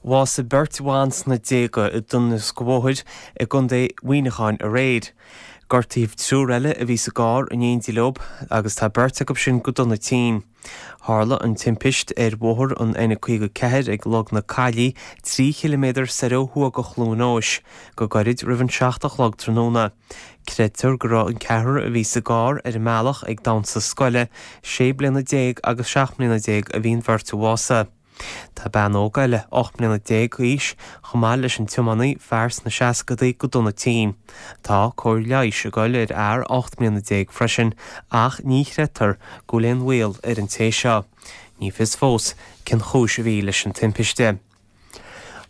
Bhásaigh beirt bhan sna déaga i dtionóisc bhóthair i gContae Mhuineacháin aréir. Gortaíodh triúr eile a bhí sa gcarr in éindí leo agus tá beirt acu sin go dona tinn. Tharla an timpist ar bhóthar an N54 ag Log na Caillí, 3 chiliméadar soir ó thuaidh de Chluain Eois, go gairid roimh an 7 a chlog tráthnóna. Creidtear go raibh an ceathrar a bhí sa gcarr ar a mbealach ag damhsa scoile, 16 bliana agus 17 mbliana a bhí an bheirt a bhásaigh. Tá bean óg eile, 18 mbliana d'aois, chomh maith leis an tiománaí, fear sna seascadaí, go dona tinn. Tá cóir leighis ag dul ar fhear 18 mbliana freisin ach ní chreidtear go bhfuil aon bhaol ar an té seo. Ní fios fós cén chúis a bhí leis an timpiste.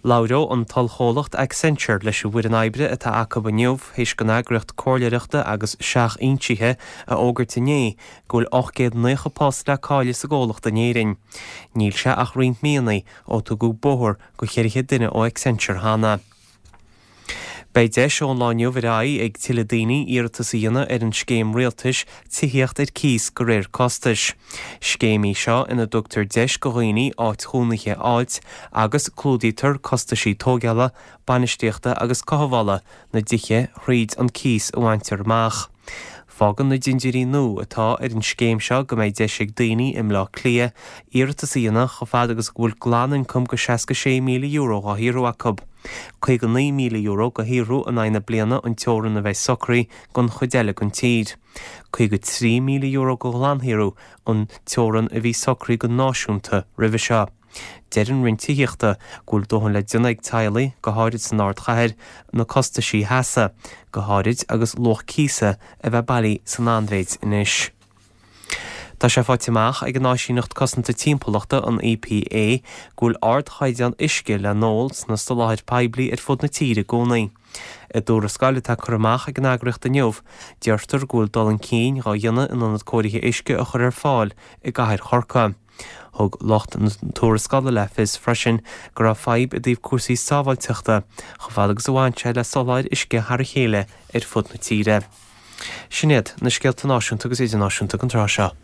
Labhróidh an t-ollchomhlacht Accenture leis an bhfoireann oibre atá acu inniu théis don eagraíocht comhairleoireachta agus seachfhoinsithe a fhógairt inné go bhfuil 890 post le cailleadh sa gcomhlacht in Éirinn. Níl sé ach roinnt míonna ó tugadh bóthar go 400 duine ó Accenture cheana. Beidh deis ón lá inniu ar aghaidh ag tuilleadh daoine iarratas a dhéanamh ar an scéim rialtais Tithíocht ar Cíos de réir Costais. Scéim í seo ina dtugtar deis go dhaoine áit chónaithe a fháilt agus clúdaítear costaisí tóigeála, bainistíochta agus cothabhála na dtithe thríd an cíos a bhaintear amach. Fágann na dintiúirí nua atá ar an scéim seo go mbeidh deis ag daoine i mBleá Cliath iarratas a dhéanamh chomh fada agus go bhfuil glanioncam de €66,000 dhá shaothrú acu. €59,000 go shaothrú in aghaidh na bliana an teorann a bheidh socraithe don chuid eile den tír. €53,000 go ghlansaothrú an teorann a bhí socraithe go náisiúnta roimhe seo. Deir an Roinn Tithíochta go bhfuil dóthain le déanamh ag teaghlaigh, go háirid san ardchathair, na costaisí a sheasamh, go háirid agus luach cíosa a bheith bailí san an-mhéid anois. Tá sé faighte amach ag an Áisíneacht Cosanta Timpeallachta, an EPA, go bhfuil ardchaighdeán uisce le n-ól sna soláthair poiblí ar fud na tíre i gcónaí. I dtuarascáil atá curtha amach ag an eagraíocht inniu, deirtear go bhfuil dul chun cinn dhá dhéanamh in ionad cóirithe uisce a chur ar fáil i gcathair Chorcaí. Thug lucht na tuarascála le fios freisin go raibh fadhb i dtaobh cúrsaí sábháilteachta chomh fada agus a bhain sé le soláthair uisce thar a chéile ar fud na tíre. Sin iad na scéalta náisiúnta agus idirnáisiúnta don tráth seo.